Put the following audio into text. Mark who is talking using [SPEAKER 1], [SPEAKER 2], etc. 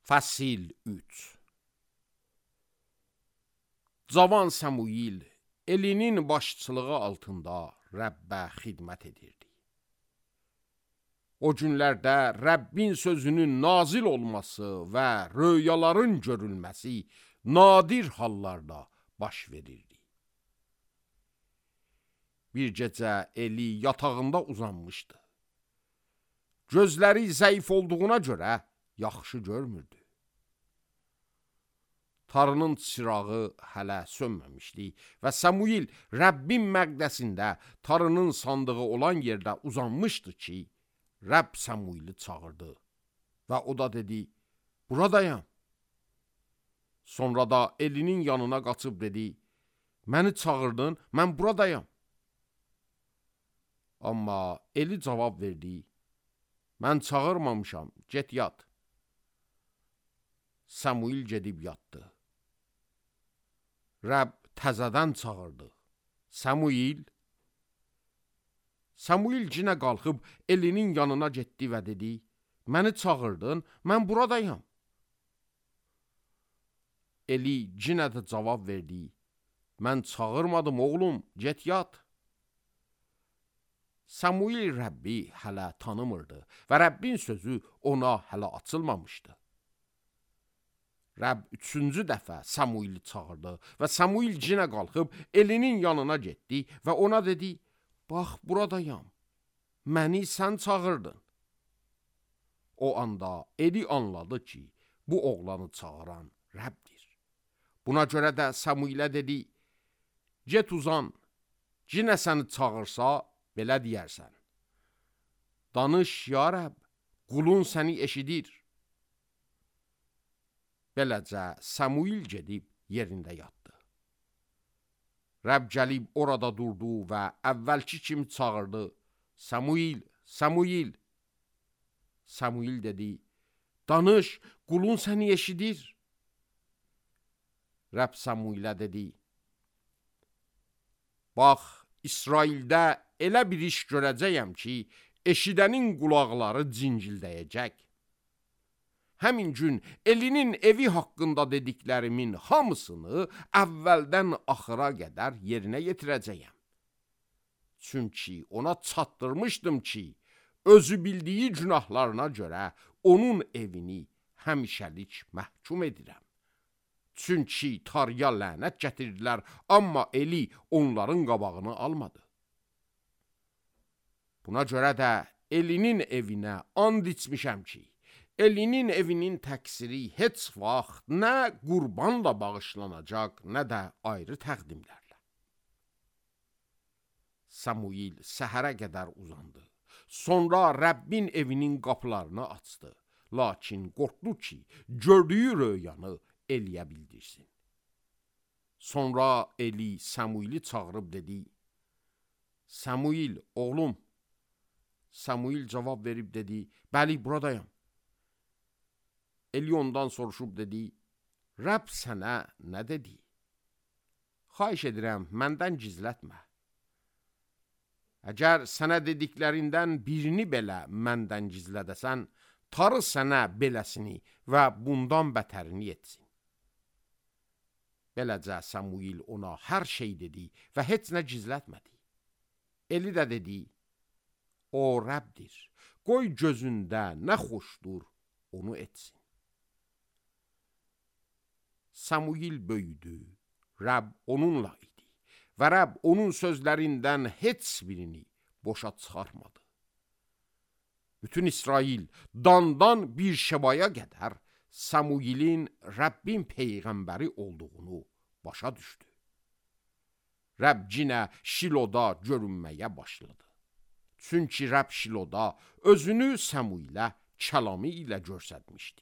[SPEAKER 1] Fəsil 3. Cavan Səmuil Elinin başçılığı altında Rəbbə xidmət edirdi. O günlərdə Rəbbin sözünün nazil olması və röyaların görülməsi nadir hallarda baş verirdi. Bir gecə Eli yatağında uzanmışdı. Gözləri zəif olduğuna görə yaxşı görmürdü. Tarının çırağı hələ sönməmişdi və Səmuil Rəbbin məqdəsində tarının sandığı olan yerdə uzanmışdı ki, Rəbb Səmuili çağırdı və o da dedi, buradayam. Sonra da Elinin yanına qaçıb dedi, məni çağırdın, mən buradayam. Amma Eli cavab verdi, mən çağırmamışam, get yat. Səmuil gedib yatdı. Rəbb təzədən çağırdı. Səmuil cinə qalxıb Elinin yanına getdi və dedi, məni çağırdın, mən buradayam. Eli cinə də cavab verdi, mən çağırmadım oğlum, get yat. Səmuil Rəbbi hələ tanımırdı və Rəbbin sözü ona hələ açılmamışdı. Rəbb 3-cü dəfə Səmuili çağırdı və Səmuil cinə qalxıb Elinin yanına getdi və ona dedi, bax buradayam, məni sən çağırdın. O anda Eli anladı ki, bu oğlanı çağıran Rəbbdir. Buna görə də Səmuilə dedi, get uzan, cinə səni çağırsa, belə deyərsən. Danış ya Rəbb, qulun səni eşidir. Beləcə Səmuil gedib yerində yatdı. Rəbb gəlib orada durdu və əvvəlki kimi çağırdı. Səmuil, Səmuil. Səmuil dedi, danış, qulun səni eşidir. Rəbb Səmuilə dedi, bax, İsraildə elə bir iş görəcəyəm ki, eşidənin qulaqları cincildəyəcək. Həmin gün Elinin evi haqqında dediklərimin hamısını əvvəldən axıra qədər yerinə yetirəcəyəm. Çünki ona çatdırmışdım ki, özü bildiyi günahlarına görə onun evini həmişəlik məhkum edirəm. Çünki tarıya lənət gətirdilər, amma Eli onların qabağını almadı. Buna görə də Elinin evinə and içmişəm ki, Elinin evinin təqsiri heç vaxt nə qurbanla bağışlanacaq, nə də ayrı təqdimlərlə. Səmuil səhərə qədər uzandı. Sonra Rəbbin evinin qapılarını açdı. Lakin qorxdu ki, gördüyü röyanı Eliyə bildirsin. Sonra Eli Səmuili çağırıb dedi, Səmuil, oğlum. Səmuil cavab verib dedi, bəli, buradayam. Eli ondan soruşub dedi, Rəbb sənə nə dedi? Xahiş edirəm, məndən gizlətmə. Əgər sənə dediklərindən birini belə məndən gizlədəsən, tarı sənə beləsini və bundan bətərini etsin. Beləcə Səmuil ona hər şey dedi və heç nə gizlətmədi. Eli də dedi, o Rəbbdir, qoy gözündə nə xoşdur, onu etsin. Səmuil böyüdü, Rəbb onunla idi və Rəbb onun sözlərindən heç birini boşa çıxarmadı. Bütün İsrail dandan bir şəbaya qədər Səmuilin Rəbbin peyğəmbəri olduğunu başa düşdü. Rəbb cinə Şiloda görünməyə başladı. Çünki Rəbb Şiloda özünü Səmuilə kəlamı ilə göstərmişdi.